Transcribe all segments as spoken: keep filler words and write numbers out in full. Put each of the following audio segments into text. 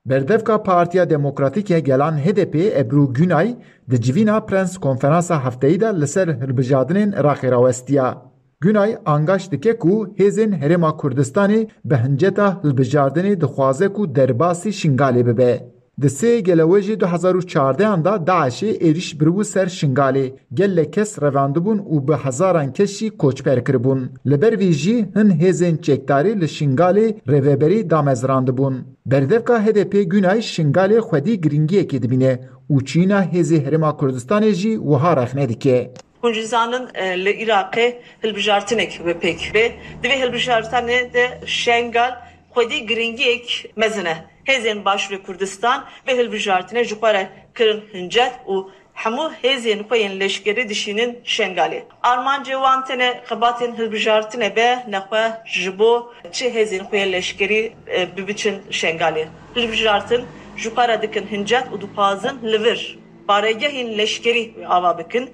Berdevka Partiya Demokratîk ya Gelan H D P Ebru Günay di civîna Prens Konferansa Hefteyî de li ser hilbijartinên Iraqê rawestiya. Günay angaş dike ku hêzên Herêma Kurdistanê bi hinceta hilbijartinê dixwaze ku derbasî Şingalê bibe. Di sê gelewejê du hezar û çardehan de DAIŞê êrîş biribû ser Şingalê. Gelek kes revandibûn û bi hezaran kes jî koçber kiribûn. Li ber vê jî hin hêzên çekdarî li Şingalê rêveberî damezrandibûn. Berdevka H D P Günay Şingalê xwedî giringiyekê dibîne û çîna hêzê Herêma Kurdistanê jî wiha rexne dike. Hûn jî zanin, e, li Iraqê hilbijartinek bi pêk bê. Di vê hilbijartinê de Şengal xwedî giringiyek mezin e. Hêzên Başûrê Kurdistan vê hilbijartinê ji xwe re kirin hincet û hemû hêzên xwe yên leşkerî dişînin Şengalê. Armancê wan tenê xebatên hilbijartinê be, nexwe ji bo çi hêzên xwe yên leşkerî, e, bibiçin Şengalê. Hilbijartin ji xwe re dikin hincet û dixwazin li vir baregehên leşkerî ava bikin.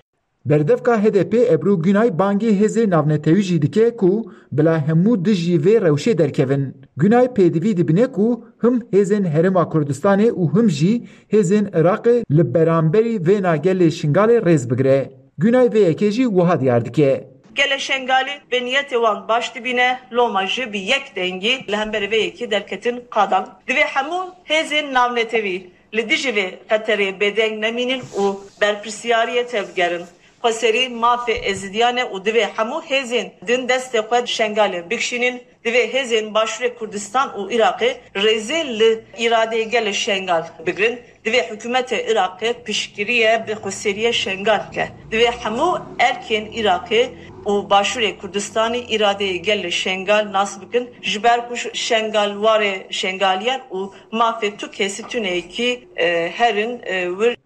Berdevka H D P Ebru Günay bangê hêzê navnetewî jî dike ku bila hemû dijî vê rewşê derkevin. Günay pêdivî dibîne ku him hêzên Herêma Kurdistanê û him jî hêzên Iraqê li beramberî vêna gelê Şingalê rêz bigire. Günay vê yekê jî wiha diyar dike. Gelê Şengalî bi niyetê wan baş dibîne, loma jî bi yek dengî li hemberî vê yekê derketin qadan. Divê hemû hêzên navnetewî li dijî vê xeterê bêdeng nemînin û berpirsiyariyê tevgerin. Xweserî mafê Êzidiyan e û divê hemû hêzên din destê xwe Şengalê bikişînin. Divê hêzên Başûrê Kurdistan û Iraqê rêzê li îradeyê gelê Şengal bigrin. Divê hikûmetê Iraqê piştgiriyê bi xweseriyê Şengal bike. Divê hemû erkên Iraqê û Başûrê Kurdistanê îradeyê gelê Şengal nas bikin, ji ber ku Şengal warê Şengaliyan û mafê tu kesî tuneyekî, e, herin, e, wir.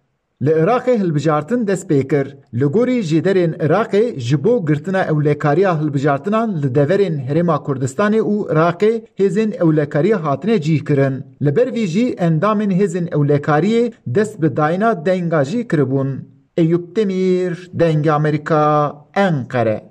Li Iraqê hilbijartin dest pê kir. Li gorî jêderên Iraqê ji bo girtina ewlekariya hilbijartinan li deverên Herêma Kurdistanê û Iraqê hêzên ewlekariyê hatine cîhkirin. Li ber vî jî endamên hêzên ewlekariyê dest bi dayîna denga jî kiribûn. Eyûp Demîr, Dengê Amerîka, Enqere.